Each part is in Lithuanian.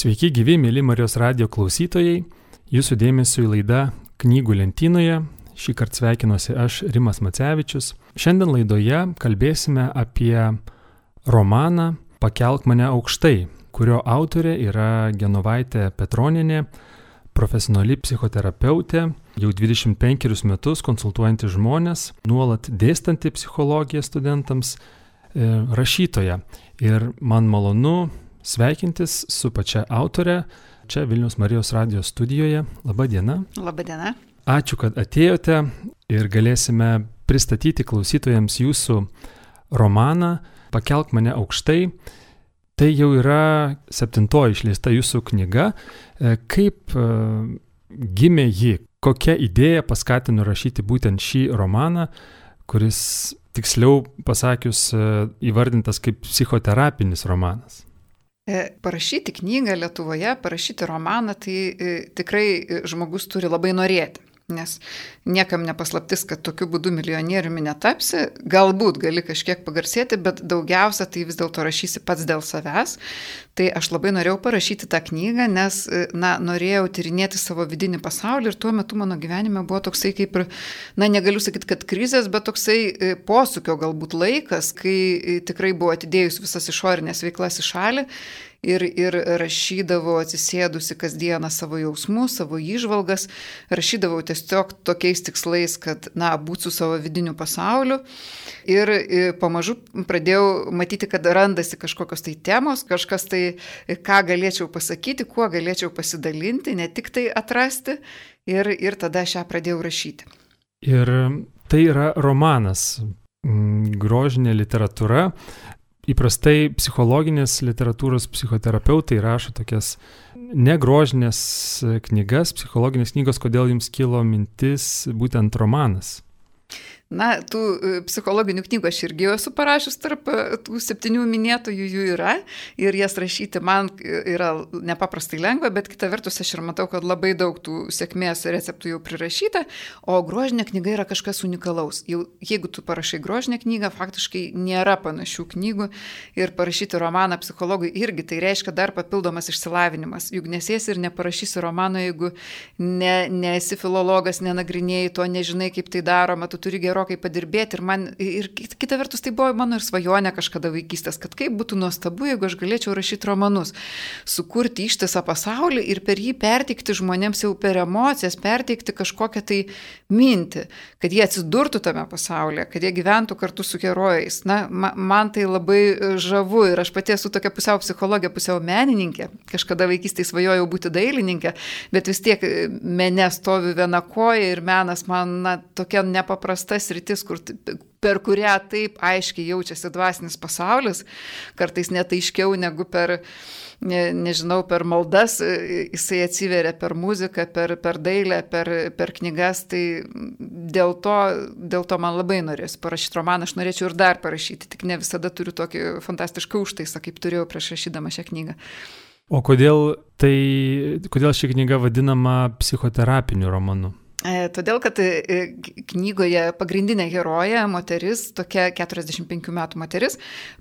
Sveiki gyvi, mėly Marijos radijo klausytojai. Jūsų dėmesio į laidą Knygų lentynoje. Šį kartą sveikinuosi aš, Rimas Macevičius. Šiandien laidoje kalbėsime apie romaną Pakelk mane aukštai, kurio autorė yra Genovaitė Petronienė, profesionali psichoterapeutė, jau 25 metus konsultuojanti žmonės, nuolat dėstanti psichologiją studentams, rašytoja. Ir man malonu sveikintis su pačia autore čia Vilniaus Marijos radijo studijoje. Labą dieną. Labą dieną. Ačiū, kad atėjote ir galėsime pristatyti klausytojams jūsų romaną Pakelk mane aukštai. Tai jau yra 7 išleista jūsų knyga. Kaip gimė ji? Kokia idėja paskatino rašyti būtent šį romaną, kuris, tiksliau pasakius, įvardintas kaip psichoterapinis romanas? Parašyti knygą Lietuvoje, parašyti romaną, tai tikrai žmogus turi labai norėti. Nes niekam nepaslaptis, kad tokiu būdu milijonieriumi netapsi, galbūt gali kažkiek pagarsėti, bet daugiausia tai vis dėlto rašysi pats dėl savęs. Tai aš labai norėjau parašyti tą knygą, nes norėjau tyrinėti savo vidinį pasaulį ir tuo metu mano gyvenime buvo toksai kaip ir, negaliu sakyti, kad krizės, bet toksai posūkio galbūt laikas, kai tikrai buvo atidėjus visas išorinės veiklas į šalį. Ir rašydavau atsisėdusi kasdieną savo jausmus, savo įžvalgas, rašydavau tiesiog tokiais tikslais, kad, būt su savo vidiniu pasauliu. Ir pamažu pradėjau matyti, kad randasi kažkokios tai temos, kažkas tai, ką galėčiau pasakyti, kuo galėčiau pasidalinti, ne tik tai atrasti. Ir tada aš ją pradėjau rašyti. Ir tai yra romanas, grožinė literatūra. Įprastai psichologinės literatūros psichoterapeutai rašo tokias negrožinės knygas, psichologinės knygos. Kodėl jums kilo mintis būtent romanas? Tų psichologinių knygų aš irgi esu parašius, tarp tų 7 minėtojų jų yra ir jas rašyti man yra nepaprastai lengva, bet kita vertus aš ir matau, kad labai daug tų sėkmės receptų jau prirašyta, o grožinė knyga yra kažkas unikalaus. Jau jeigu tu parašai grožinę knygą, faktiškai nėra panašių knygų ir parašyti romaną psichologui irgi tai reiškia dar papildomas išsilavinimas. Juk nesėsi ir neparašysi romano, jeigu nesi filologas, nenagrinėjai to, nežinai, kaip tai daroma, tu turi gerokai padirbėti ir kita vertus tai buvo mano ir svajonė kažkada vaikystės, kad kaip būtų nuostabu, jeigu aš galėčiau rašyti romanus, sukurti ištisą pasaulį ir per jį perteikti žmonėms jau per emocijas, perteikti kažkokią tai mintį, kad jie atsidurtų tame pasaulyje, kad jie gyventų kartu su herojais. Man tai labai žavu ir aš pati esu tokia pusiau psichologė, pusiau menininkė, kažkada vaikystėje svajojau būti dailininkė, bet vis tiek mene stovi viena koja ir menas man tokia nepaprasta sritis, per kurią taip aiškiai jaučiasi dvasinis pasaulis, kartais net aiškiau negu per maldas, jisai atsiveria per muziką, per dailę, per knygas, tai dėl to man labai norėsiu parašyti romaną, aš norėčiau ir dar parašyti, tik ne visada turiu tokį fantastišką užtaisą, kaip turėjau prieš rašydama šią knygą. O kodėl ši knyga vadinama psichoterapiniu romanu? Todėl, kad knygoje pagrindinė herojė, moteris, tokia 45 metų moteris,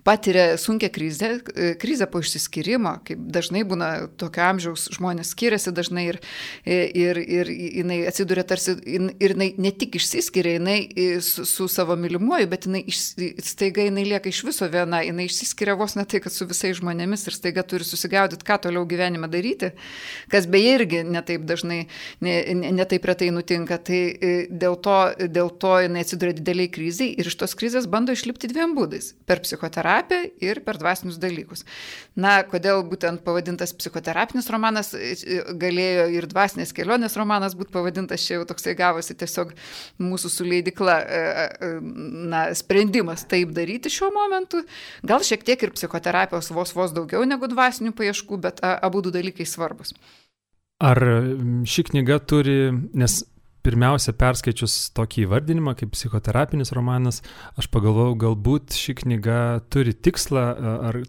patiria sunkią krizę po išsiskyrimo, kaip dažnai būna tokio amžiaus žmonės skiriasi dažnai ir jinai atsiduria tarsi, ir jinai ne tik išsiskiria, jinai su savo mylimuoju, bet staiga jinai lieka iš viso viena, jinai išsiskiria vos ne tai, kad su visais žmonėmis ir staiga turi susigaudyti, ką toliau gyvenime daryti, kas beje irgi netaip dažnai, netaip retai nutinka. Tai dėl to jinai atsiduria dideliai kriziai ir iš tos krizės bando išlipti 2 būdais – per psichoterapiją ir per dvasinius dalykus. Kodėl būtent pavadintas psichoterapinis romanas, galėjo ir dvasinės kelionės romanas būti pavadintas, čia jau toksai gavosi tiesiog mūsų su leidykla sprendimas taip daryti šiuo momentu. Gal šiek tiek ir psichoterapijos vos daugiau negu dvasinių paieškų, bet abudu dalykai svarbus. Ar ši knyga turi, nes pirmiausia, perskaičius tokį įvardinimą kaip psichoterapinis romanas, aš pagalvojau, galbūt ši knyga turi tikslą ar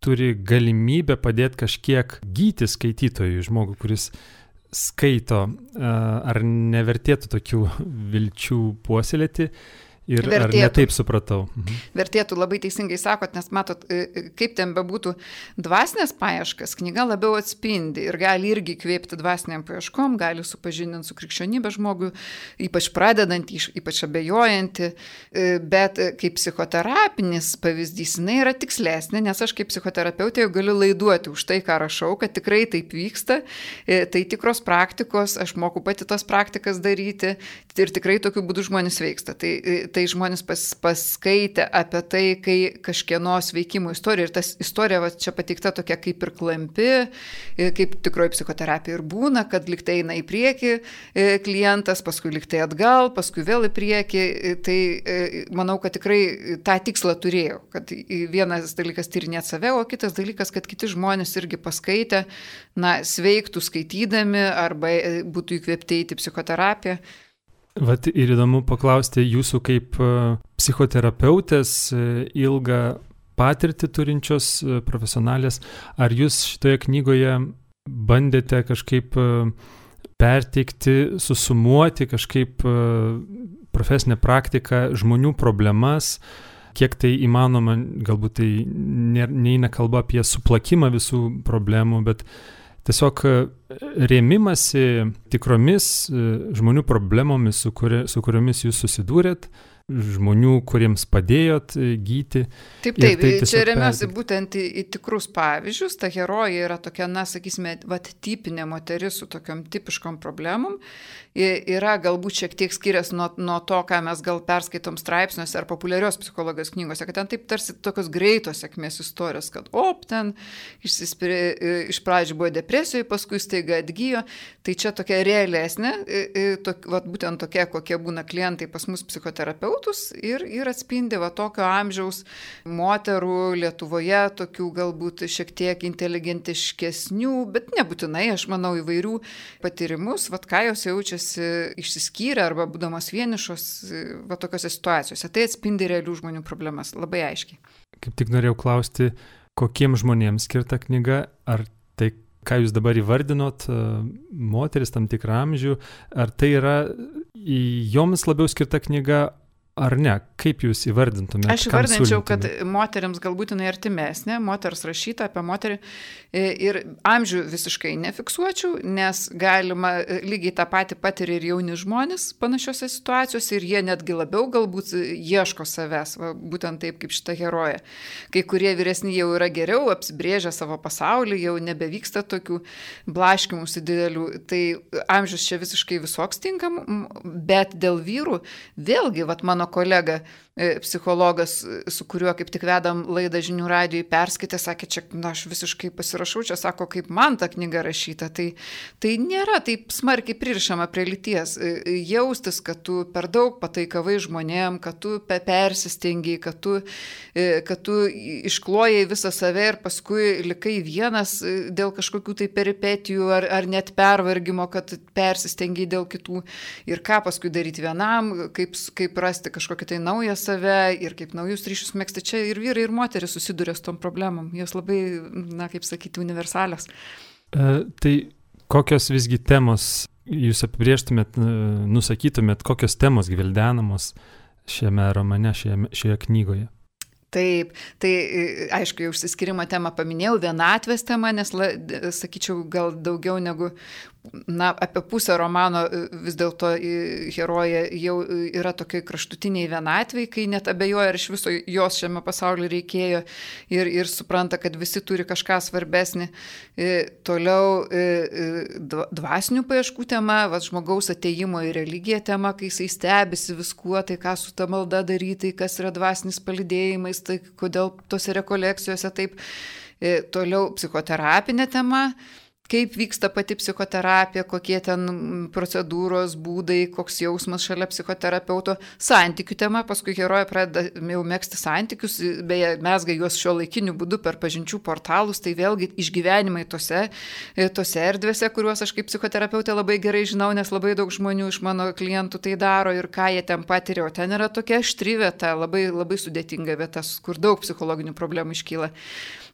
turi galimybę padėti kažkiek gyti skaitytojui, žmogui, kuris skaito, ar nevertėtų tokių vilčių puoselėti, ir ar ne taip supratau. Vertėtų, labai teisingai sakot, nes matot, kaip ten bebūtų dvasinės paieškas, knyga labiau atspindi ir gali irgi kvėpti dvasiniam paieškom, gali supažindinti su krikščionybė žmogui, ypač pradedant, ypač abejojantį, bet kaip psichoterapinis pavyzdys, jinai yra tikslesnė, nes aš kaip psichoterapeutė jau galiu laiduoti už tai, ką rašau, kad tikrai taip vyksta, tai tikros praktikos, aš moku pati tos praktikas daryti ir tikrai tokiu būdu žmonės veiksta. Tai žmonės paskaitė apie tai, kai kažkieno sveikimo istorija, ir tas istorija čia pateikta tokia kaip ir klampi, kaip tikroji psichoterapija ir būna, kad liktai eina į priekį klientas, paskui liktai atgal, paskui vėl į priekį, tai manau, kad tikrai tą tikslą turėjau, kad vienas dalykas tyrinėti save, o kitas dalykas, kad kiti žmonės irgi paskaitę, sveiktų skaitydami arba būtų įkvėpti į psichoterapiją. Vat ir įdomu paklausti jūsų kaip psichoterapeutės ilgą patirtį turinčios profesionalės, ar jūs šitoje knygoje bandėte kažkaip perteikti, susumuoti kažkaip profesinę praktiką, žmonių problemas, kiek tai įmanoma, galbūt tai neina kalba apie suplakimą visų problemų, bet tiesiog rėmimasi tikromis žmonių problemomis, su kuriomis jūs susidūrėt, žmonių, kuriems padėjot gyti. Taip, čia remiuosi būtent į tikrus pavyzdžius. Ta herojė yra tokia, sakysime, tipinė moteris su tokiom tipiškom problemom. Yra galbūt šiek tiek skiriasi nuo to, ką mes gal perskaitom straipsniuose ar populiarios psichologijos knygose, kad ten taip tarsi tokios greitos sėkmės istorijos, kad ten iš pradžių buvo depresijoje, paskui staiga atgyjo. Tai čia tokia realesnė, būtent tokia, kokie būna klientai pas mus psichoterapeutus ir atspindi tokio amžiaus moterų Lietuvoje, tokių galbūt šiek tiek inteligentiškesnių, bet nebūtinai, aš manau, įvairių patyrimus, ką jos jaučiasi išsiskyrę arba būdamos vienišos tokiose situacijose. Tai atspindi realių žmonių problemas labai aiškiai. Kaip tik norėjau klausti, kokiems žmonėms skirta knyga, ar tai, ką jūs dabar įvardinot, moteris tam tikrą amžių, ar tai yra joms labiau skirta knyga, ar ne? Kaip jūs įvardintumėte? Aš įvardinčiau, kad moteriams galbūt jinai artimesnė, moters rašyta apie moterį ir amžių visiškai nefiksuočiau, nes galima lygiai tą patį patiria ir jauni žmonės panašiose situacijose ir jie netgi labiau galbūt ieško savęs, būtent taip kaip šita herojė. Kai kurie vyresni jau yra geriau, apsibrėžę savo pasaulį, jau nebevyksta tokių blaškymusi didelių, tai amžius čia visiškai visoks tinkam, bet dėl vyrų vėlgi, mano kolega psichologas, su kuriuo kaip tik vedam laidą Žinių radijui, perskaitė, sakė, čia, aš visiškai pasirašau, čia sako, kaip man ta knyga rašyta. Tai nėra taip smarkiai pririšama prie lyties. Jaustis, kad tu per daug pataikavai žmonėm, kad tu persistengiai, kad tu išklojai visą save ir paskui likai vienas dėl kažkokių tai peripetijų ar net pervargimo, kad persistengiai dėl kitų. Ir ką paskui daryti vienam, kaip rasti kažkokį tai naują save ir kaip naujus ryšius megzti. Čia ir vyrai, ir moteris susiduria su tom problemom. Jos labai, kaip sakyti, universalios. Tai kokios visgi temos jūs apibrėžtumėt, nusakytumėt, kokios temos gvildenamos šiame romane, šioje knygoje? Taip, tai aišku, jau išsiskirimo temą paminėjau, vienatvės temą, nes, sakyčiau, gal daugiau negu apie pusę romano vis dėlto herojė jau yra tokiai kraštutiniai vienatvei, kai net abejoja, ar iš viso jos šiame pasaulyje reikėjo ir supranta, kad visi turi kažką svarbesnį. Toliau dvasinių paieškų tema, žmogaus atėjimo į religiją tema, kai jisai stebisi viskuo, tai ką su ta malda daryti, kas yra dvasinis palydėjimais, tai kodėl tose rekolekcijose taip. Toliau psichoterapinė tema, kaip vyksta pati psichoterapija, kokie ten procedūros, būdai, koks jausmas šalia psichoterapeuto, santykių tema, paskui herojė pradeda jau megzti santykius, beje, mezga juos šiuolaikiniu būdu per pažinčių portalus, tai vėlgi išgyvenimai tose erdvėse, kuriuos aš kaip psichoterapeutė labai gerai žinau, nes labai daug žmonių iš mano klientų tai daro ir ką jie ten patiria, o ten yra tokia aštri vieta, labai, labai sudėtinga vieta, kur daug psichologinių problemų iškyla.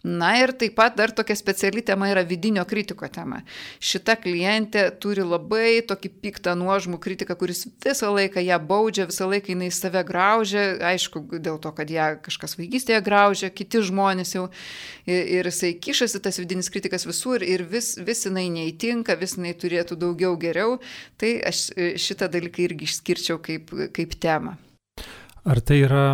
Na ir taip pat dar tokia speciali tema yra vidinio kritiko tema. Šita klientė turi labai tokį piktą nuožmų kritiką, kuris visą laiką ją baudžia, visą laiką jinai save graužia, aišku, dėl to, kad ją kažkas vaikystėje graužia, kiti žmonės jau, ir jisai kišasi, tas vidinis kritikas visur ir vis jinai neįtinka, vis jinai turėtų daugiau geriau, tai aš šitą dalyką irgi išskirčiau kaip temą. Ar tai yra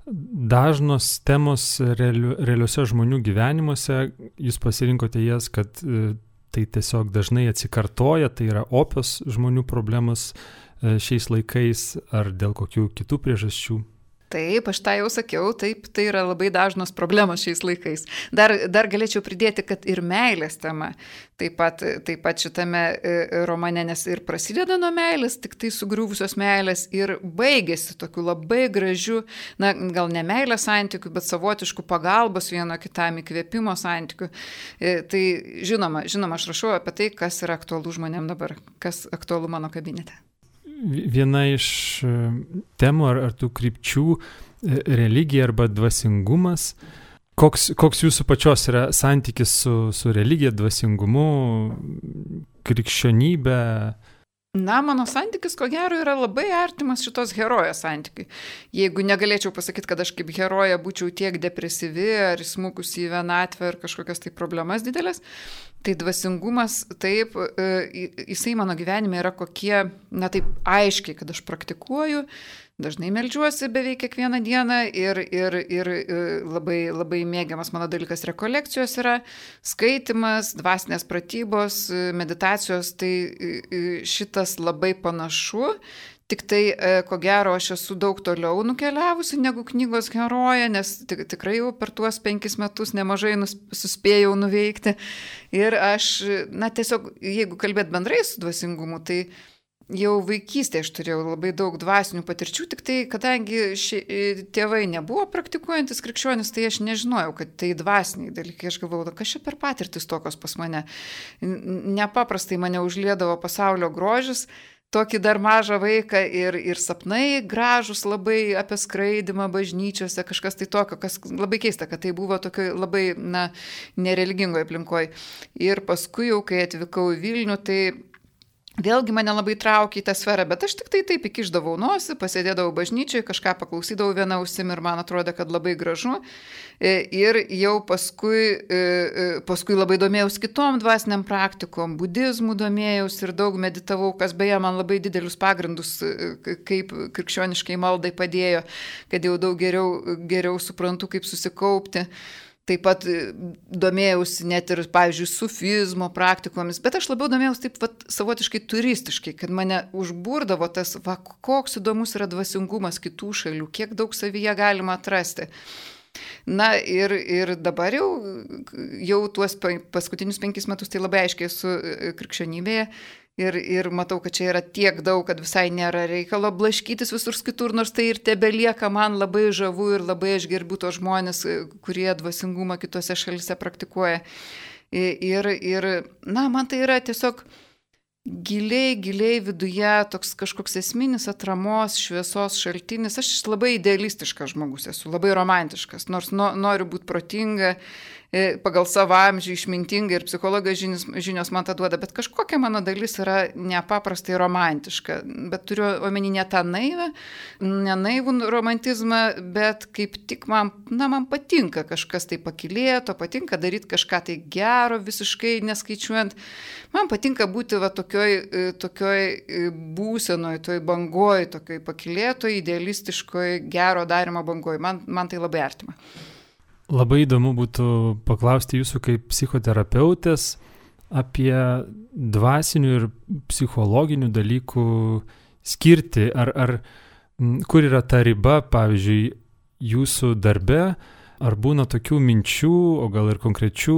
dažnos temos realiuose žmonių gyvenimuose, jūs pasirinkote jas, kad tai tiesiog dažnai atsikartoja, tai yra opios žmonių problemos šiais laikais ar dėl kokių kitų priežasčių? Taip, aš tą jau sakiau, taip, tai yra labai dažnos problemos šiais laikais. Dar galėčiau pridėti, kad ir meilės tema taip pat šitame romane, nes ir prasideda nuo meilės, tik tai sugriuvusios meilės ir baigėsi tokiu labai gražiu, na, gal ne meilės santykių, bet savotiškų pagalbos vieno kitam įkvėpimo santykių. Tai žinoma, aš rašau apie tai, kas yra aktualu žmonėm dabar, kas aktualu mano kabinete. Viena iš temų ar tų krypčių religija arba dvasingumas. Koks jūsų pačios yra santykis su religija, dvasingumu, krikščionybė? Na, mano santykis, ko gero, yra labai artimas šitos herojės santykiui. Jeigu negalėčiau pasakyti, kad aš kaip heroja būčiau tiek depresyvi ar smukusi į vienatvę ar kažkokias tai problemas didelės, tai dvasingumas, taip, jisai mano gyvenime yra kokie, na taip aiškiai, kad aš praktikuoju, dažnai meldžiuosi beveik kiekvieną dieną ir labai, labai mėgiamas mano dalykas rekolekcijos yra, skaitimas, dvasinės pratybos, meditacijos, tai šitas labai panašu. Tik tai, ko gero, aš esu daug toliau nukeliavusi negu knygos herojė, nes tikrai jau per tuos 5 metus nemažai suspėjau nuveikti. Ir aš, na tiesiog, jeigu kalbėt bendrai su dvasingumu, tai jau vaikystėje aš turėjau labai daug dvasinių patirčių, tik tai, kadangi tėvai nebuvo praktikuojantis krikščionis, tai aš nežinojau, kad tai dvasiniai dalykai. Aš galvojau, kas čia per patirtis tokios pas mane. Nepaprastai mane užliedavo pasaulio grožis, tokį dar mažą vaiką ir sapnai gražus labai apie skraidimą bažnyčiose, kažkas tai tokio, kas labai keista, kad tai buvo tokio labai, na, nereligingoje aplinkoje. Ir paskui jau, kai atvykau į Vilnių, tai vėlgi mane labai traukė į tą sferą, bet aš tik tai taip įkišdavau nosį, pasėdėdavau bažnyčiai, kažką paklausydavau vieną ausim ir man atrodė, kad labai gražu. Ir jau paskui labai domėjausi kitom dvasiniam praktikom, budizmų domėjausi ir daug meditavau, kas beje man labai didelius pagrindus, kaip krikščioniškai maldai padėjo, kad jau daug geriau suprantu, kaip susikaupti. Taip pat domėjausi net ir, pavyzdžiui, sufizmo praktikomis, bet aš labiau domėjausi taip savotiškai turistiškai, kad mane užburdavo tas, koks įdomus yra dvasingumas kitų šalių, kiek daug savyje galima atrasti. Na ir dabar jau tuos paskutinius 5 metus tai labai aiškiai esu krikščionybėje. Ir matau, kad čia yra tiek daug, kad visai nėra reikalo blaškytis visur kitur, nors tai ir tebelieka man labai žavu ir labai aš gerbiu tos žmonės, kurie dvasingumą kitose šalise praktikuoja. Ir na, man tai yra tiesiog giliai viduje toks kažkoks esminis atramos, šviesos šaltinis. Aš labai idealistiškas žmogus esu, labai romantiškas, nors noriu būti protinga, pagal savo amžių išmintinga ir psichologijos žinios man tą duoda, bet kažkokia mano dalis yra nepaprastai romantiška, bet turiu omeny ne tą naivų romantizmą, bet kaip tik man patinka kažkas tai pakylėto, patinka daryti kažką tai gero, visiškai neskaičiuojant. Man patinka būti tokioj būsenoj, toj bangoj, tokioj pakylėtoj, idealistiškoj, gero darimo bangoj. Man tai labai artima. Labai įdomu būtų paklausti jūsų kaip psichoterapeutės apie dvasinių ir psichologinių dalykų skirtį. Ar kur yra ta riba, pavyzdžiui, jūsų darbe, ar būna tokių minčių, o gal ir konkrečių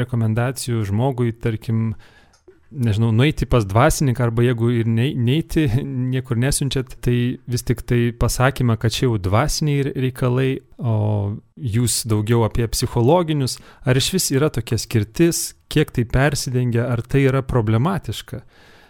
rekomendacijų žmogui, tarkim, nežinau, nueiti pas dvasininką, arba jeigu ir neiti, niekur nesiunčiat, tai vis tik tai pasakymą, kad čia jau dvasiniai reikalai, o jūs daugiau apie psichologinius, ar iš vis yra tokia skirtis, kiek tai persidengia, ar tai yra problematiška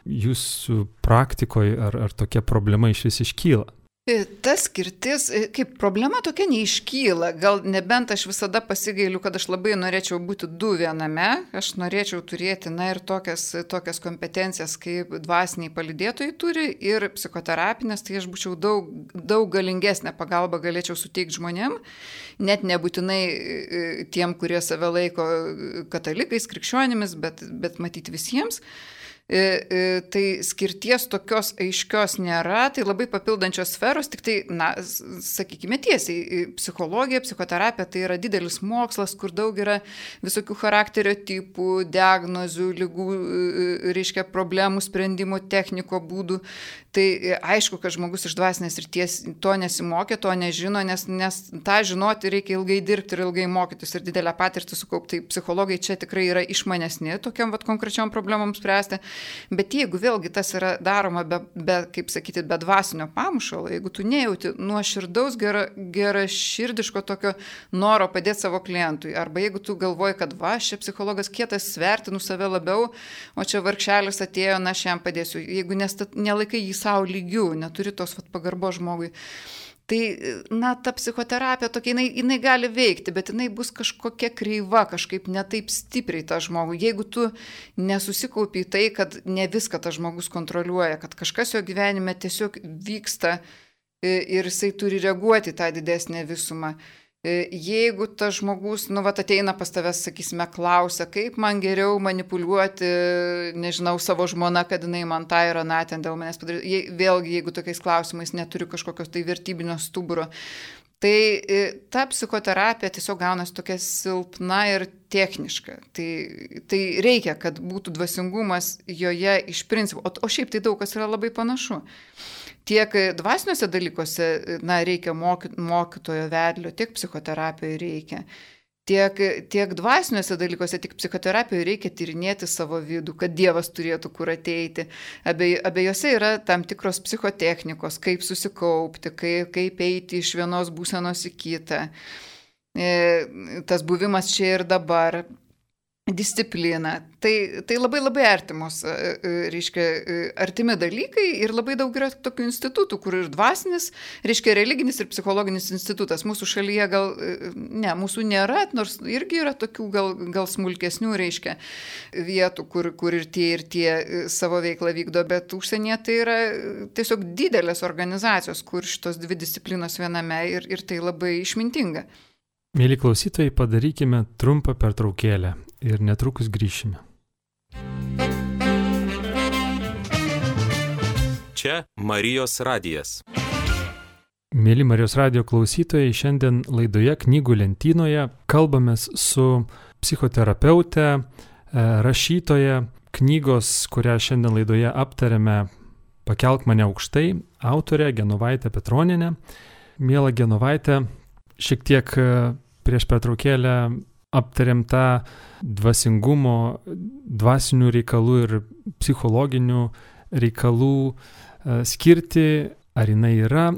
jūsų praktikoje, ar tokia problema iš vis iškyla? Ta skirtis, kaip problema tokia neiškyla, gal nebent aš visada pasigailiu, kad aš labai norėčiau būti du viename, aš norėčiau turėti, ir tokias kompetencijas, kaip dvasiniai palydėtojai turi ir psichoterapinės, tai aš būčiau daug galingesnę pagalbą galėčiau suteikti žmonėm, net nebūtinai tiem, kurie save laiko katalikais, krikščionimis, bet matyti visiems. Tai skirties tokios aiškios nėra, tai labai papildančios sferos, tik tai, sakykime tiesiai, psichologija, psichoterapija tai yra didelis mokslas, kur daug yra visokių charakterio tipų, diagnozių, lygų, reiškia problemų sprendimo, techniko būdų. Tai aišku, kad žmogus iš dvasinės srities to nesimokė, to nežino, nes tą žinoti reikia ilgai dirbti ir ilgai mokytis ir didelę patirtį sukaupti. Tai psichologai čia tikrai yra išmanesni tokiam konkrečiom problemom spręsti. Bet jeigu vėlgi tas yra daroma kaip sakyti, be dvasinio pamušalo, jeigu tu nejauti nuoširdaus geraširdiško tokio noro padėti savo klientui, arba jeigu tu galvoji, kad šia psichologas kietas, vertinu save labiau, o čia vargšelis atėjo, aš jam padėsiu. Jeigu nelaikai jį savo lygių, neturi tos pagarbo žmogui, tai, ta psichoterapija tokia, jinai gali veikti, bet jinai bus kažkokia kreiva, kažkaip netaip stipriai tą žmogų. Jeigu tu nesusikaupi į tai, kad ne viską tas žmogus kontroliuoja, kad kažkas jo gyvenime tiesiog vyksta ir jisai turi reaguoti tą didesnę visumą. Jeigu tas žmogus, ateina pas tavęs, sakysime, klausia, kaip man geriau manipuliuoti, nežinau, savo žmoną, kad jinai man tą ir aną ten dėl manęs padarė. Vėlgi, jeigu tokiais klausimais neturiu kažkokios tai vertybinio stuburo, tai ta psichoterapija tiesiog gaunasi tokia silpna ir techniška. Tai reikia, kad būtų dvasingumas joje iš principo, o šiaip tai daug kas yra labai panašu. Tiek dvasiniuose dalykuose reikia mokytojo vedlio, tiek psichoterapijoje reikia. Tiek dvasiniuose dalykuose, tiek psichoterapijoje reikia tyrinėti savo vidų, kad Dievas turėtų kur ateiti. Abiejose yra tam tikros psichotechnikos, kaip susikaupti, kaip eiti iš vienos būsenos į kitą. Tas buvimas čia ir dabar. Disciplina. Tai labai labai artimos, reiškia, artimi dalykai ir labai daug yra tokių institutų, kur ir dvasinis, reiškia, religinis ir psichologinis institutas. Mūsų šalyje mūsų nėra, nors irgi yra tokių gal smulkesnių, reiškia, vietų, kur ir tie savo veiklą vykdo, bet užsienyje tai yra tiesiog didelės organizacijos, kur šitos dvi disciplinos viename ir tai labai išmintinga. Mėly klausytojai, padarykime trumpą pertraukėlę ir netrukus grįšime. Čia Marijos radijas. Mėly Marijos radijo klausytojai, šiandien laidoje Knygų lentynoje kalbamės su psichoterapeute, rašytoja, knygos, kurią šiandien laidoje aptarėme, Pakelk mane aukštai, autorė Genovaitė Petronienė. Miela Genovaitė, šiek tiek prieš pertraukėlę aptarėm tą dvasingumo, dvasinių reikalų ir psichologinių reikalų skirti, ar jinai yra.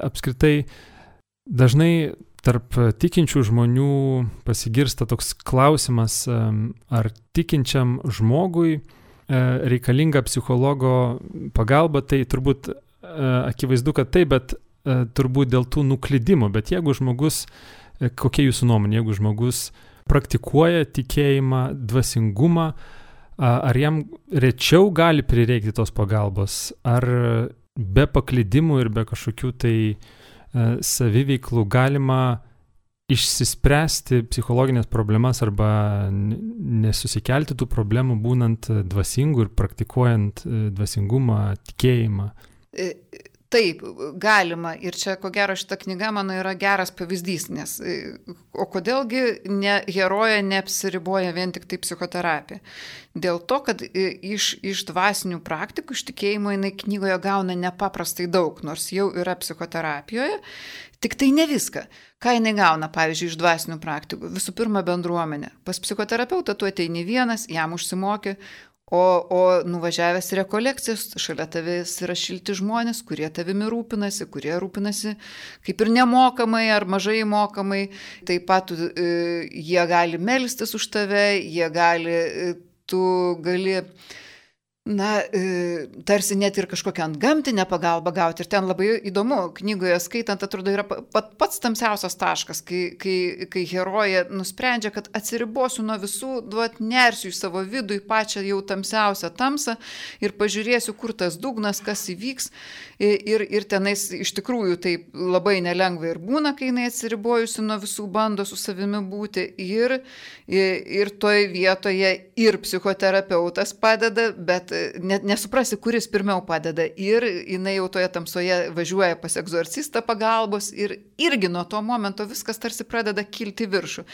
Apskritai, dažnai tarp tikinčių žmonių pasigirsta toks klausimas, ar tikinčiam žmogui reikalinga psichologo pagalba, tai turbūt akivaizdu, kad taip, bet turbūt dėl tų nuklydimų. Bet jeigu žmogus, kokia jūsų nuomonė, jeigu žmogus praktikuoja tikėjimą, dvasingumą, ar jam rečiau gali prireikti tos pagalbos, ar be paklydimų ir be kažkokių tai saviveiklų galima išsispręsti psichologinės problemas arba nesusikelti tų problemų būnant dvasingu ir praktikuojant dvasingumą, tikėjimą? Taip, galima. Ir čia, ko gero, šita knyga mano yra geras pavyzdys, nes o kodėlgi herojė neapsiriboja vien tik tai psichoterapija? Dėl to, kad iš dvasinių praktikų, iš tikėjimo jinai knygoje gauna nepaprastai daug, nors jau yra psichoterapijoje, tik tai ne viską. Ką jinai gauna, pavyzdžiui, iš dvasinių praktikų? Visų pirma, bendruomenė. Pas psichoterapeutą tu ateini vienas, jam užsimoki, o nuvažiavęs į rekolekcijas, šalia tavęs yra šilti žmonės, kurie tavimi rūpinasi, kurie rūpinasi kaip ir nemokamai ar mažai mokamai. Taip pat jie gali melstis už tave, tu gali Tarsi net ir kažkokią antgamtinę pagalbą gauti. Ir ten labai įdomu, knygoje skaitant, atrodo, yra pats tamsiausias taškas, kai herojė nusprendžia, kad atsiribosiu nuo visų, nersiu į savo vidų, į pačią jau tamsiausią tamsą ir pažiūrėsiu, kur tas dugnas, kas įvyks. Ir tenais iš tikrųjų taip labai nelengva ir būna, kai jinai atsiribojusi nuo visų bando su savimi būti. Ir toje vietoje ir psichoterapeutas padeda, bet nesuprasi, kuris pirmiau padeda. Ir jinai jau toje tamsoje važiuoja pas egzorcistą pagalbos ir irgi nuo to momento viskas tarsi pradeda kilti viršų.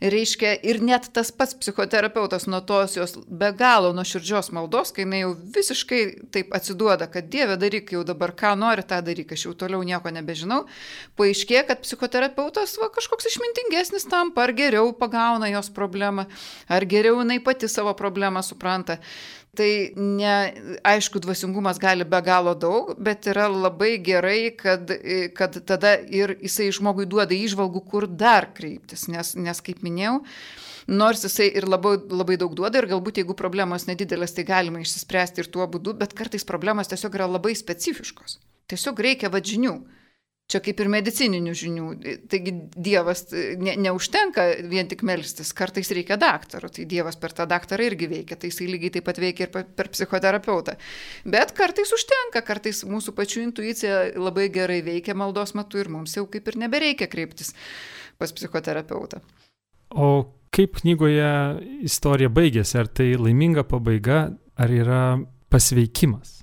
Reiškia, ir net tas pats psichoterapeutas nuo tos jos be galo nuoširdžios maldos, kai jinai jau visiškai taip atsiduoda, kad Dieve daryk jau dabar, ką nori, tą daryk, aš jau toliau nieko nebežinau, paaiškėja, kad psichoterapeutas kažkoks išmintingesnis tampa, ar geriau pagauna jos problemą, ar geriau jinai pati savo problemą supranta. Tai aišku, dvasingumas gali be galo daug, bet yra labai gerai, kad tada ir jisai žmogui duoda įžvalgų, kur dar kreiptis, nes kaip minėjau, nors jisai ir labai daug duoda ir galbūt jeigu problemos nedidelės, tai galima išsispręsti ir tuo būdu, bet kartais problemos tiesiog yra labai specifiškos. Tiesiog reikia žinių. Čia kaip ir medicininių žinių. Taigi Dievas neužtenka vien tik melstis, kartais reikia daktaro, tai Dievas per tą daktarą irgi veikia, tai jisai lygiai taip pat veikia ir per psichoterapeutą. Bet kartais užtenka, kartais mūsų pačių intuicija labai gerai veikia maldos metu ir mums jau kaip ir nebereikia kreiptis pas psichoterapeutą. O kaip knygoje istorija baigėsi? Ar tai laiminga pabaiga, ar yra pasveikimas?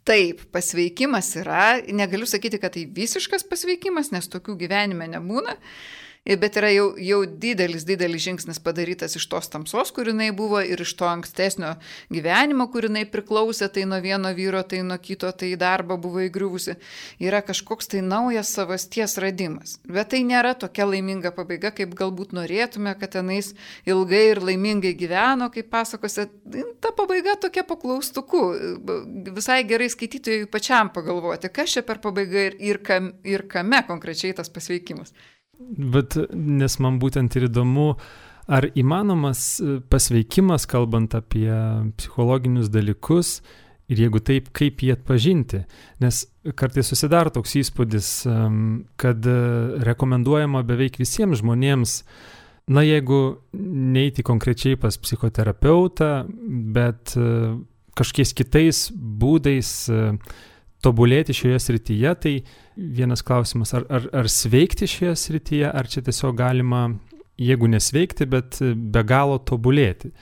Taip, pasveikimas yra, negaliu sakyti, kad tai visiškas pasveikimas, nes tokių gyvenime nebūna, bet yra jau didelis žingsnis padarytas iš tos tamsos, kur jinai buvo, ir iš to ankstesnio gyvenimo, kur jinai priklausė, tai nuo vieno vyro, tai nuo kito, tai į darbą buvo įgriuvusi. Yra kažkoks tai naujas savasties radimas. Bet tai nėra tokia laiminga pabaiga, kaip galbūt norėtume, kad tenais ilgai ir laimingai gyveno, kaip pasakose. Ta pabaiga tokia paklaustuku. Visai gerai skaitytojui pačiam pagalvoti, kas čia per pabaigą ir kame konkrečiai tas pasveikimas. Bet nes man būtent ir įdomu, ar įmanomas pasveikimas, kalbant apie psichologinius dalykus, ir jeigu taip, kaip jį atpažinti. Nes kartais susidaro toks įspūdis, kad rekomenduojama beveik visiems žmonėms, jeigu neiti konkrečiai pas psichoterapeutą, bet kažkiais kitais būdais tobulėti šioje srityje, tai vienas klausimas, ar sveikti šioje srityje, ar čia tiesiog galima, jeigu nesveikti, bet be galo tobulėti.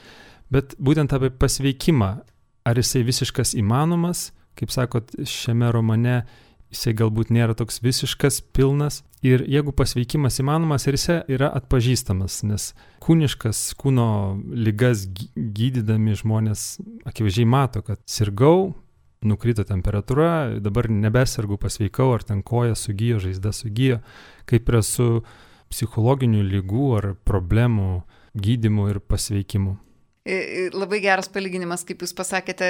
Bet būtent apie pasveikimą, ar jisai visiškas įmanomas, kaip sakot, šiame romane jisai galbūt nėra toks visiškas, pilnas. Ir jeigu pasveikimas įmanomas, ir jisai yra atpažįstamas, nes kūno ligas gydydami žmonės akivaizdžiai mato, kad sirgau, nukrito temperatūra, dabar nebesergu, pasveikau, ar ten koja sugijo, žaizda sugijo, kaip yra su psichologinių ligų ar problemų gydymu ir pasveikimu. Labai geras palyginimas, kaip jūs pasakėte,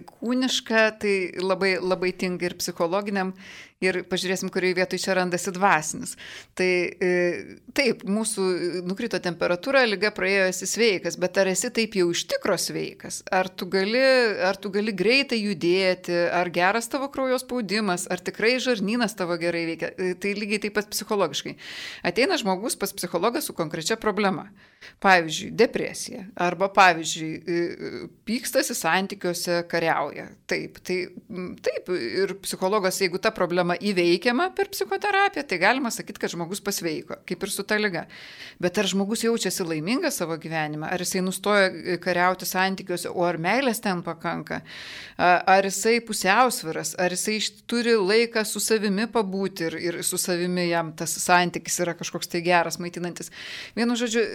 kūniška, tai labai tinka ir psichologiniam, ir pažiūrėsim, kurioje vietoje čia randasi dvasinis. Tai taip, mūsų nukrito temperatūra, liga praėjo, esi sveikas, bet ar esi taip jau iš tikro sveikas? Ar tu gali greitai judėti, ar geras tavo kraujo spaudimas, ar tikrai žarnynas tavo gerai veikia? Tai lygiai taip pat psichologiškai. Ateina žmogus pas psichologą su konkrečia problema. Pavyzdžiui, depresija, arba pavyzdžiui, pykstasi santykiuose, kariauja. Taip, ir psichologas, jeigu ta problema įveikiama per psichoterapiją, tai galima sakyti, kad žmogus pasveiko, kaip ir su ta liga. Bet ar žmogus jaučiasi laimingas savo gyvenimą, ar jisai nustoja kariauti santykiuose, o ar meilės ten pakanka, ar jisai pusiausviras, ar jisai turi laiką su savimi pabūti ir su savimi jam tas santykis yra kažkoks tai geras, maitinantis. Vienu žodžiu,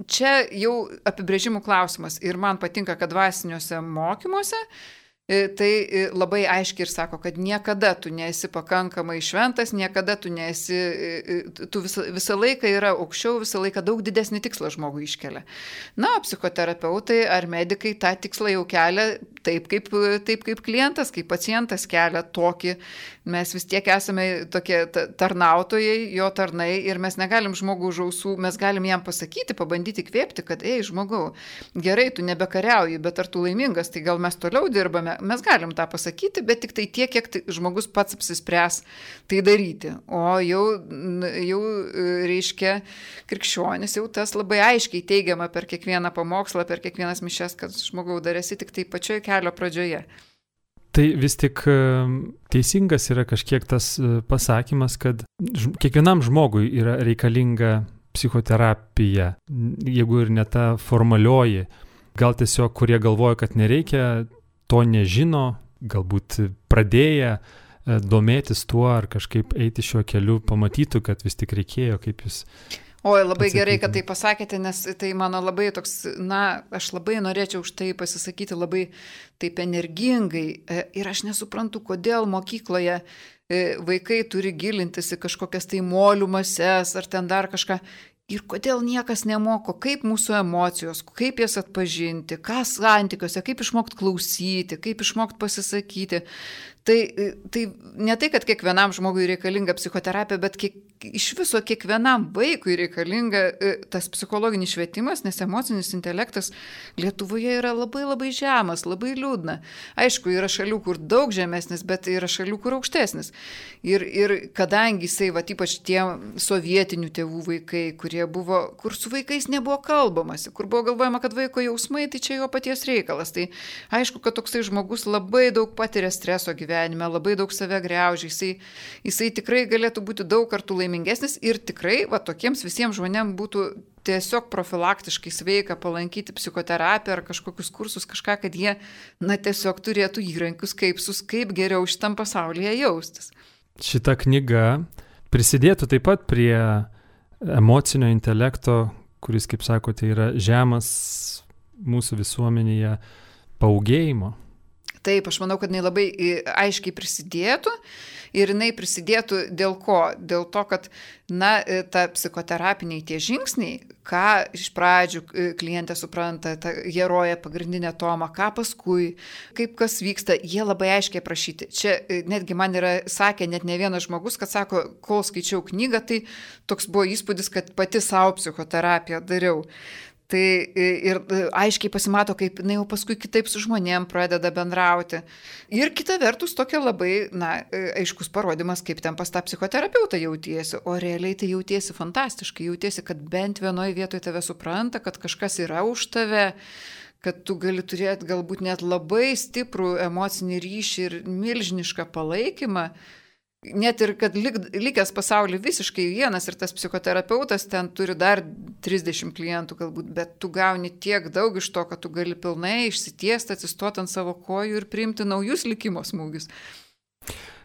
čia jau apibrėžimų klausimas ir man patinka, kad dvasiniuose mokymuose tai labai aiškiai ir sako, kad niekada tu nesi pakankamai šventas, niekada tu nesi, tu visą laiką yra aukščiau, visą laiką daug didesnį tikslą žmogui iškelia. Na, psichoterapeutai ar medikai tą tikslą jau kelia taip kaip klientas, kaip pacientas kelia tokį. Mes vis tiek esame tokie tarnautojai, jo tarnai ir mes negalim žmogų už ausų, mes galim jam pasakyti, pabandyti kvėpti, kad žmogau, gerai, tu nebekariauji, bet ar tu laimingas, tai gal mes toliau dirbame. Mes galim tą pasakyti, bet tik tai tiek, kiek žmogus pats apsispręs tai daryti. O jau reiškia krikščionis, jau tas labai aiškiai teigiama per kiekvieną pamokslą, per kiekvienas mišias, kad žmogau darėsi tik tai pačioje kelio pradžioje. Tai vis tik teisingas yra kažkiek tas pasakymas, kad kiekvienam žmogui yra reikalinga psichoterapija, jeigu ir ne ta formalioji. Gal tiesiog, kurie galvoja, kad nereikia, to nežino, galbūt pradėję domėtis tuo ar kažkaip eiti šiuo keliu, pamatytų, kad vis tik reikėjo, kaip jūs... Oi, labai gerai, kad tai pasakėte, nes tai mano labai toks, aš labai norėčiau už tai pasisakyti labai taip energingai ir aš nesuprantu, kodėl mokykloje vaikai turi gilintis į kažkokias tai molių mases ar ten dar kažką. Ir kodėl niekas nemoko, kaip mūsų emocijos, kaip jas atpažinti, ką santykiuose, kaip išmokti klausyti, kaip išmokti pasisakyti. Tai ne tai, kad kiekvienam žmogui reikalinga psichoterapija, bet iš viso kiekvienam vaikui reikalinga tas psichologinis švietimas, nes emocinis intelektas Lietuvoje yra labai labai žemas, labai liūdna. Aišku, yra šalių, kur daug žemesnis, bet yra šalių, kur aukštesnis. Ir kadangi jisai, ypač tie sovietinių tėvų vaikai, kur su vaikais nebuvo kalbamasi, kur buvo galvojama, kad vaiko jausmai, tai čia jo paties reikalas. Tai aišku, kad toksai žmogus labai daug patiria streso gyvenime, labai daug save griaužia, jisai tikrai galėtų būti daug kartų laimingesnis ir tikrai tokiems visiems žmonėms būtų tiesiog profilaktiškai sveika palankyti psichoterapiją ar kažkokius kursus, kažką, kad jie tiesiog turėtų įrankius, kaip geriau šitam pasaulyje jaustis. Šita knyga prisidėtų taip pat prie emocinio intelekto, kuris, kaip sakote, yra žemas mūsų visuomenėje, paūgėjimo. Taip, aš manau, kad jinai labai aiškiai prisidėtų ir jinai prisidėtų dėl ko? Dėl to, kad, ta psichoterapiniai tie žingsniai, ką iš pradžių klientė supranta, ta herojė pagrindinė Toma, ką paskui, kaip kas vyksta, jie labai aiškiai aprašyti. Čia netgi man yra sakę net ne vienas žmogus, kad sako, kol skaičiau knygą, tai toks buvo įspūdis, kad pati savo psichoterapiją dariau. Tai ir aiškiai pasimato, kaip jau paskui kitaip su žmonėm pradeda bendrauti. Ir kita vertus tokia labai, aiškus parodimas, kaip ten pas tą psichoterapeutą jautiesi, o realiai tai jautiesi fantastiškai, jautiesi, kad bent vienoje vietoje tave supranta, kad kažkas yra už tave, kad tu gali turėti galbūt net labai stiprų emocinį ryšį ir milžinišką palaikymą. Net ir kad likęs pasaulį visiškai vienas ir tas psichoterapeutas ten turi dar 30 klientų galbūt, bet tu gauni tiek daug iš to, kad tu gali pilnai išsitiesti, atsistoti ant savo kojų ir priimti naujus likimo smūgius.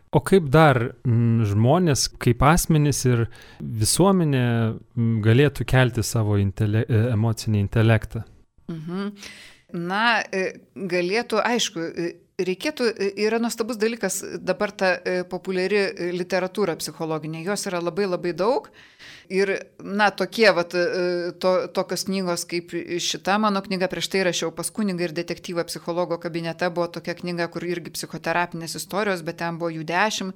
O kaip dar žmonės, kaip asmenys ir visuomenė galėtų kelti savo emocinį intelektą? Galėtų, aišku, yra nuostabus dalykas dabar ta populiari literatūra psichologinė, jos yra labai labai daug ir, tokios knygos kaip šita mano knyga, prieš tai rašiau Pas kunigą ir detektyvą psichologo kabinete, buvo tokia knyga, kur irgi psichoterapinės istorijos, bet ten buvo jų 10.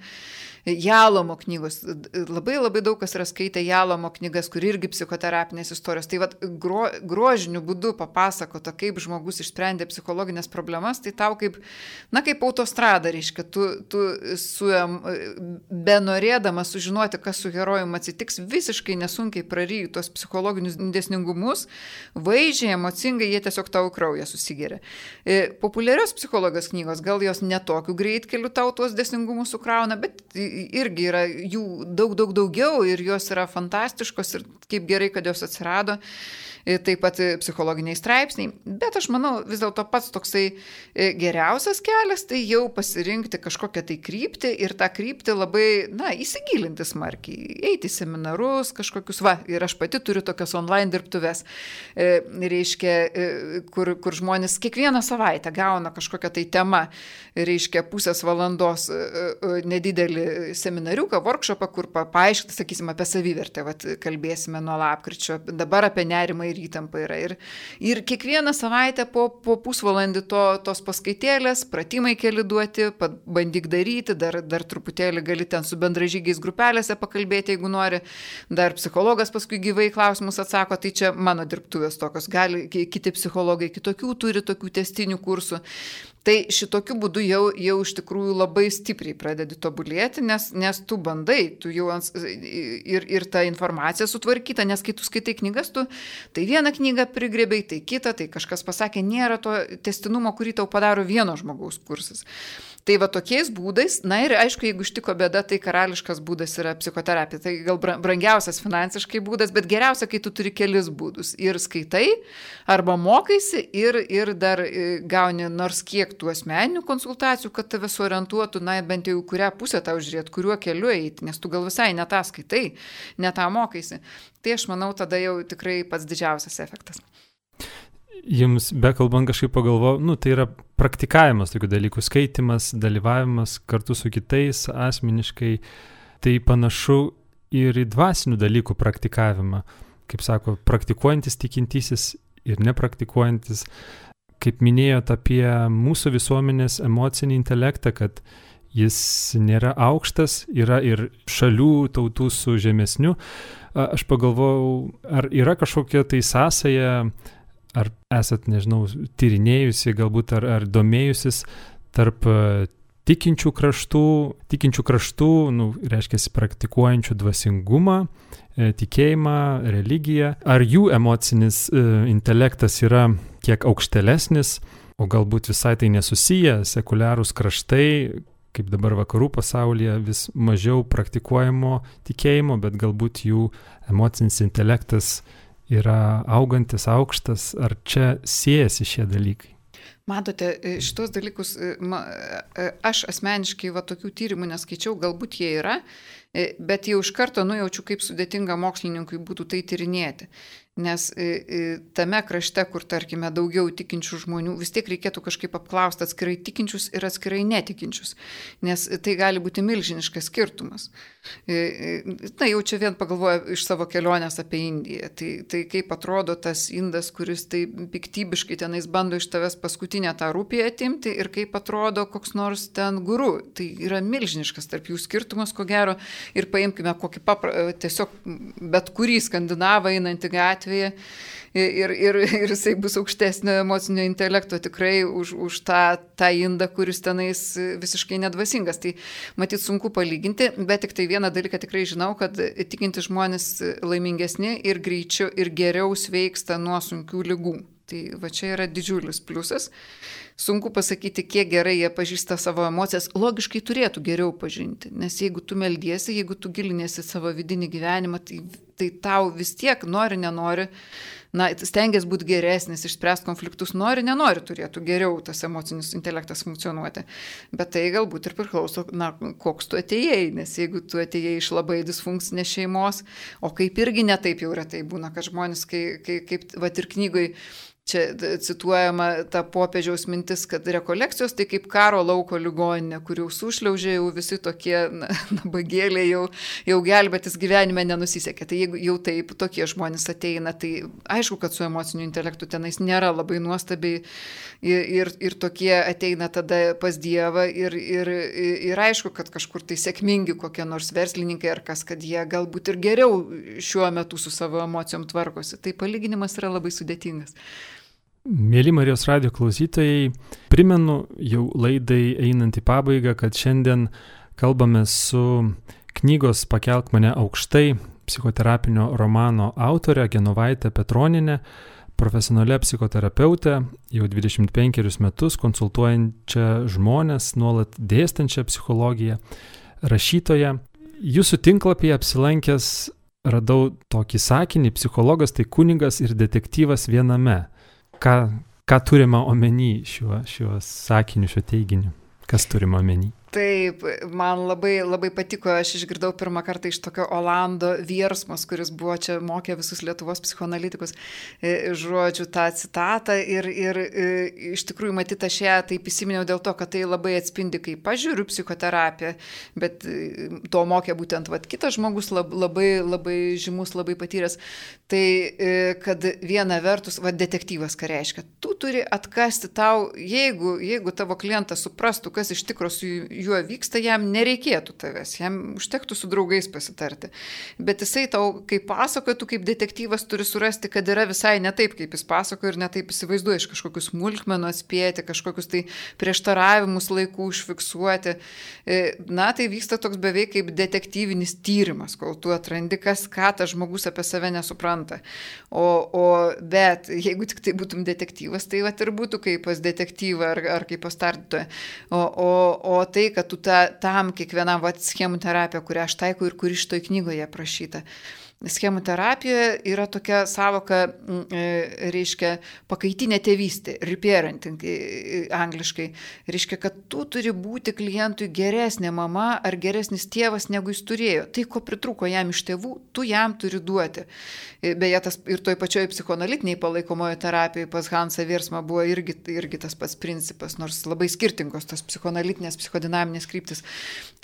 Jalomo knygos, labai labai daug kas yra skaitę Jalomo knygas, kur irgi psichoterapinės istorijos. Tai grožiniu būdu papasakota, kaip žmogus išsprendė psichologinės problemas, tai tau kaip autostrada, reiškia, tu benorėdamas sužinoti, kas su herojumi atsitiks, visiškai nesunkiai praryji tos psichologinius dėsningumus, vaizdžiai, emocingai, jie tiesiog tau kraują susigeria. Populiarios psichologijos knygos, gal jos netokiu greitkeliu tau tuos dėsningumus sukrauna, bet irgi yra jų daugiau ir jos yra fantastiškos ir kaip gerai, kad jos atsirado. Taip pat psichologiniai straipsniai, bet aš manau vis dėlto pats toksai geriausias kelias, tai jau pasirinkti kažkokią tai kryptį ir tą kryptį labai, įsigilinti smarkiai, eiti į seminarus kažkokius, ir aš pati turiu tokias online dirbtuves, reiškia, kur žmonės kiekvieną savaitę gauna kažkokią tai temą, reiškia, pusės valandos nedidelį seminariuką, workshopą, kur paaiškinti, sakysim, apie savivertę, kalbėsime nuo lapkričio, dabar apie nerimą ir ir įtampa yra. Ir kiekvieną savaitę po pusvalandį tos paskaitėlės, pratimai keli duoti, bandyk daryti, dar truputėlį gali ten su bendražygiais grupelėse pakalbėti, jeigu nori, dar psichologas paskui gyvai klausimus atsako, tai čia mano dirbtuvės tokios, gali kiti psichologai kitokių turi tokių testinių kursų. Tai šitokiu būdu jau iš tikrųjų labai stipriai pradedi tobulėti, nes tu bandai, tu jau ir ta informacija sutvarkyta, nes kai tu skaitai knygas, tu tai vieną knygą prigrėbei, tai kitą, tai kažkas pasakė, nėra to tęstinumo, kurį tau padaro vieno žmogaus kursas. Tai va tokiais būdais, na ir aišku, jeigu ištiko bėda, tai karališkas būdas yra psichoterapija. Tai gal brangiausias finansiškai būdas, bet geriausia, kai tu turi kelis būdus. Ir skaitai, arba mokaisi, ir dar gauni nors kiek tų asmeninių konsultacijų, kad tave suorientuotų, na bent jau kurią pusę tau žiūrėti, kuriuo keliu eiti, nes tu gal visai ne tą skaitai, ne tą mokaisi. Tai aš manau, tada jau tikrai pats didžiausias efektas. Jums bekalbant kažkaip pagalvojau, tai yra praktikavimas tokių dalykų, skaitimas, dalyvavimas kartu su kitais asmeniškai, tai panašu ir į dvasinių dalykų praktikavimą. Kaip sako, praktikuojantis tikintysis ir nepraktikuojantis. Kaip minėjot apie mūsų visuomenės emocinį intelektą, kad jis nėra aukštas, yra ir šalių tautų su žemesniu. Aš pagalvojau, ar yra kažkokia tai sąsaja, ar esat, nežinau, tyrinėjusi, galbūt ar domėjusis tarp tikinčių kraštų, reiškia praktikuojančių dvasingumą, tikėjimą, religiją. Ar jų emocinis intelektas yra kiek aukštelesnis, o galbūt visai tai nesusiję, sekuliarūs kraštai, kaip dabar vakarų pasaulyje, vis mažiau praktikuojamo tikėjimo, bet galbūt jų emocinis intelektas yra augantis, aukštas, ar čia siejasi šie dalykai? Matote, šitos dalykus aš asmeniškai tokių tyrimų neskaičiau, galbūt jie yra, bet jau iš karto nujaučiu, kaip sudėtinga mokslininkui būtų tai tyrinėti. Nes tame krašte, kur, tarkime, daugiau tikinčių žmonių, vis tiek reikėtų kažkaip apklausti atskirai tikinčius ir atskirai netikinčius, nes tai gali būti milžiniškas skirtumas. Na, jau čia vien pagalvoju iš savo kelionės apie Indiją. Tai kaip atrodo tas indas, kuris tai piktybiškai tenais bando iš tavęs paskutinę tą rūpį atimti, ir kaip atrodo koks nors ten guru. Tai yra milžiniškas tarp jų skirtumas, ko gero. Ir paimkime kokį tiesiog bet kurį skandinavą einantį gatvėje ir jisai bus aukštesnio emocinio intelekto tikrai už tą indą, kuris tenais visiškai nedvasingas. Tai matyt sunku palyginti, bet tik tai vieną dalyką tikrai žinau, kad tikinti žmonės laimingesni ir greičiau ir geriau sveiksta nuo sunkių ligų. Tai va čia yra didžiulis pliusas. Sunku pasakyti, kiek gerai jie pažįsta savo emocijas. Logiškai turėtų geriau pažinti, nes jeigu tu meldiesi, jeigu tu gilinėsi savo vidinį gyvenimą, tai tau vis tiek nenori, stengiasi būti geresnis, išspręsti konfliktus, nenori, turėtų geriau tas emocinis intelektas funkcionuoti. Bet tai galbūt ir priklauso, koks tu atėjai, nes jeigu tu atėjai iš labai disfunkcinės šeimos, o kaip irgi netaip jau retai būna, kad žmonės, kaip ir knygoj, čia cituojama ta popiežiaus mintis, kad rekolekcijos tai kaip karo lauko ligoninė, kur jau sušliaužė, jau visi tokie nabagėliai, jau gelbėtis gyvenime nenusisekė. Tai jeigu jau taip tokie žmonės ateina, tai aišku, kad su emociniu intelektu tenais nėra labai nuostabiai ir tokie ateina tada pas Dievą ir aišku, kad kažkur tai sėkmingi kokie nors verslininkai ar kas, kad jie galbūt ir geriau šiuo metu su savo emocijom tvarkosi. Tai palyginimas yra labai sudėtingas. Mėly Marijos radijo klausytojai, primenu jau laidai einant į pabaigą, kad šiandien kalbame su knygos Pakelk mane aukštai psichoterapinio romano autorė Genovaitė Petronienė, profesionalia psichoterapeutė, jau 25 metus konsultuojančia žmonės, nuolat dėstančia psichologiją, rašytoja. Jūsų tinklapyje apsilankęs radau tokį sakinį: psichologas tai kunigas ir detektyvas viename. Ką turime omeny šiuo sakiniu, šiuo teiginiu? Kas turime omeny? Taip, man labai patiko, aš išgirdau pirmą kartą iš tokio Olando Viersmos, kuris buvo čia mokė visus Lietuvos psichoanalitikus, žodžiu, tą citatą ir iš tikrųjų matyti aš ją taip įsiminiau dėl to, kad tai labai atspindi, kaip pažiūriu psichoterapiją, bet to mokė būtent kitas žmogus, labai žymus, labai patyręs. Tai, kad viena vertus, detektyvas ką reiškia, tu turi atkasti tau, jeigu tavo klientas suprastų, kas iš tikro su juo vyksta, jam nereikėtų tavęs, jam užtektų su draugais pasitarti. Bet jisai tau, kaip pasakoja, tu kaip detektyvas turi surasti, kad yra visai ne taip, kaip jis pasakoja ir ne taip įsivaizduoja, iš kažkokius smulkmenų atspėti, kažkokius tai prieštaravimus laikų užfiksuoti. Na, tai vyksta toks beveik kaip detektyvinis tyrimas, kol tu atrandi, ką tas žmogus apie save nesupranta. Bet jeigu tik tai būtum detektyvas, tai ir būtų kaip pas detektyvą ar kaip pas tardytoją. O tai, kad tu tam kiekvienam schemų terapija, kurią aš taikau ir kuri šitoj knygoje aprašyta. Schemų terapijoje yra tokia savoka, reiškia, pakaitinė tėvystė, reparenting angliškai. Reiškia, kad tu turi būti klientui geresnė mama ar geresnis tėvas, negu jis turėjo. Tai, ko pritrūko jam iš tėvų, tu jam turi duoti. Beje, ir toj pačioj psichoanalitiniai palaikomojo terapijoje pas Hansą Viersmą buvo irgi tas pats principas, nors labai skirtingos tos psichoanalitinės, psichodinaminės kryptis.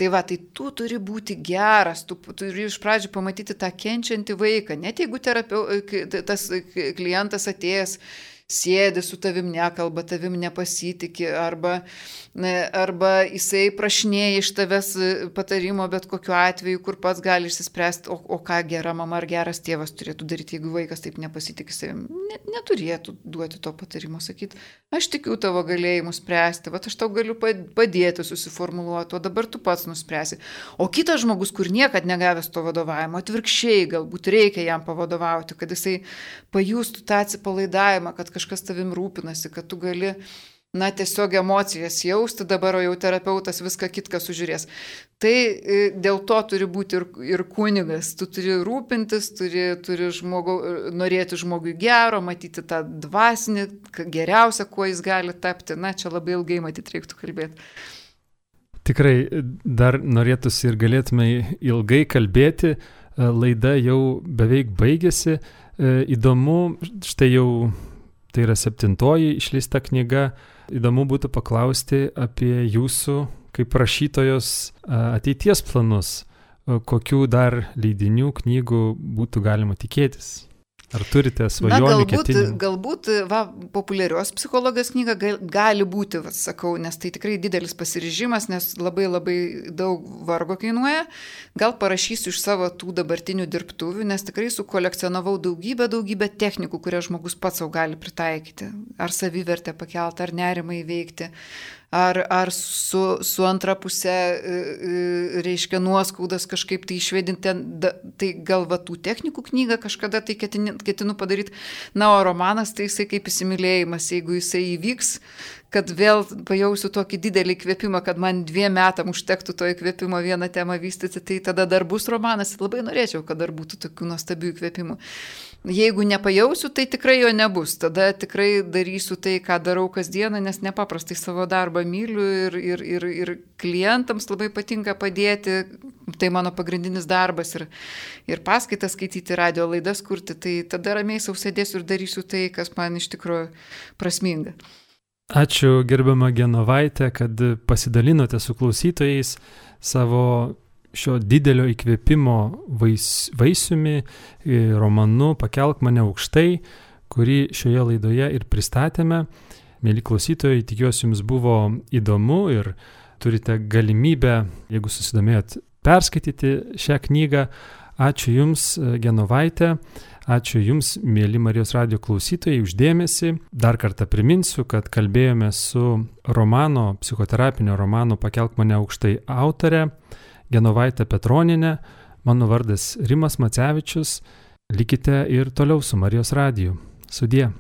Tai tu turi būti geras, tu turi iš pradžių pamatyti tą kenčiantį vaiką, net jeigu tas klientas atėjęs sėdi su tavim, nekalba, tavim nepasitikė, arba jisai prašinėja iš tavęs patarimo, bet kokiu atveju, kur pats gali išsispręsti, o ką gera mama ar geras tėvas turėtų daryti, jeigu vaikas taip nepasitikė savim. Neturėtų duoti to patarimo, sakyti, aš tikiu tavo galėjimu spręsti, aš tau galiu padėti susiformuluoti, o dabar tu pats nuspręsi. O kitas žmogus, kur niekad negavęs to vadovavimo, atvirkščiai galbūt reikia jam pavadovauti, kad jisai pajustų tą atsipalaidavimą, kad kažkas tavim rūpinasi, kad tu gali, tiesiog emocijas jausti, dabar jau terapeutas viską kitką sužiūrės. Tai dėl to turi būti ir kunigas, tu turi rūpintis, turi norėti žmogui gero, matyti tą dvasinį, geriausią, kuo jis gali tapti. Čia labai ilgai matyti reiktų kalbėti. Tikrai dar norėtųsi ir galėtume ilgai kalbėti, laida jau beveik baigėsi. Įdomu, štai jau tai yra 7. išleista knyga. Įdomu būtų paklausti apie jūsų kaip rašytojos ateities planus. Kokių dar leidinių, knygų būtų galima tikėtis? Ar turite svajonių, ketinimų? Galbūt populiarios psichologijos knyga gali būti, sakau, nes tai tikrai didelis pasiryžimas, nes labai daug vargo kainuoja. Gal parašysiu iš savo tų dabartinių dirbtuvių, nes tikrai sukolekcionavau daugybę technikų, kurias žmogus pats savo gali pritaikyti. Ar savivertę pakelti, ar nerimą įveikti. Ar su antra pusė, reiškia, nuoskaudas kažkaip tai išvedinti, tai gal tų technikų knygą kažkada tai ketinu padaryti. O romanas tai jisai kaip įsimylėjimas, jeigu jisai įvyks, kad vėl pajausiu tokį didelį įkvėpimą, kad man 2 metam užtektų to įkvėpimo vieną temą vystyti, tai tada dar bus romanas. Labai norėčiau, kad dar būtų tokių nuostabių įkvėpimų. Jeigu nepajausiu, tai tikrai jo nebus. Tada tikrai darysiu tai, ką darau kasdieną, nes nepaprastai savo darbą myliu ir klientams labai patinka padėti. Tai mano pagrindinis darbas ir paskaitas skaityti, radio laidas kurti. Tai tada ramiai sau sėdėsiu ir darysiu tai, kas man iš tikrųjų prasminga. Ačiū gerbiama Genovaitė, kad pasidalinote su klausytojais savo šio didelio įkvėpimo vaisiumi, romanu Pakelk mane aukštai, kurį šioje laidoje ir pristatėme. Mėly klausytojai, tikiuosi jums buvo įdomu ir turite galimybę, jeigu susidomėjot, perskaityti šią knygą. Ačiū Jums, Genovaitė. Ačiū Jums, mėly Marijos radijo klausytojai, uždėmesį. Dar kartą priminsiu, kad kalbėjome su psichoterapinio romano Pakelk mane aukštai autore Genovaitė Petronienė. Mano vardas Rimas Macevičius. Likite ir toliau su Marijos radiju. Sudie.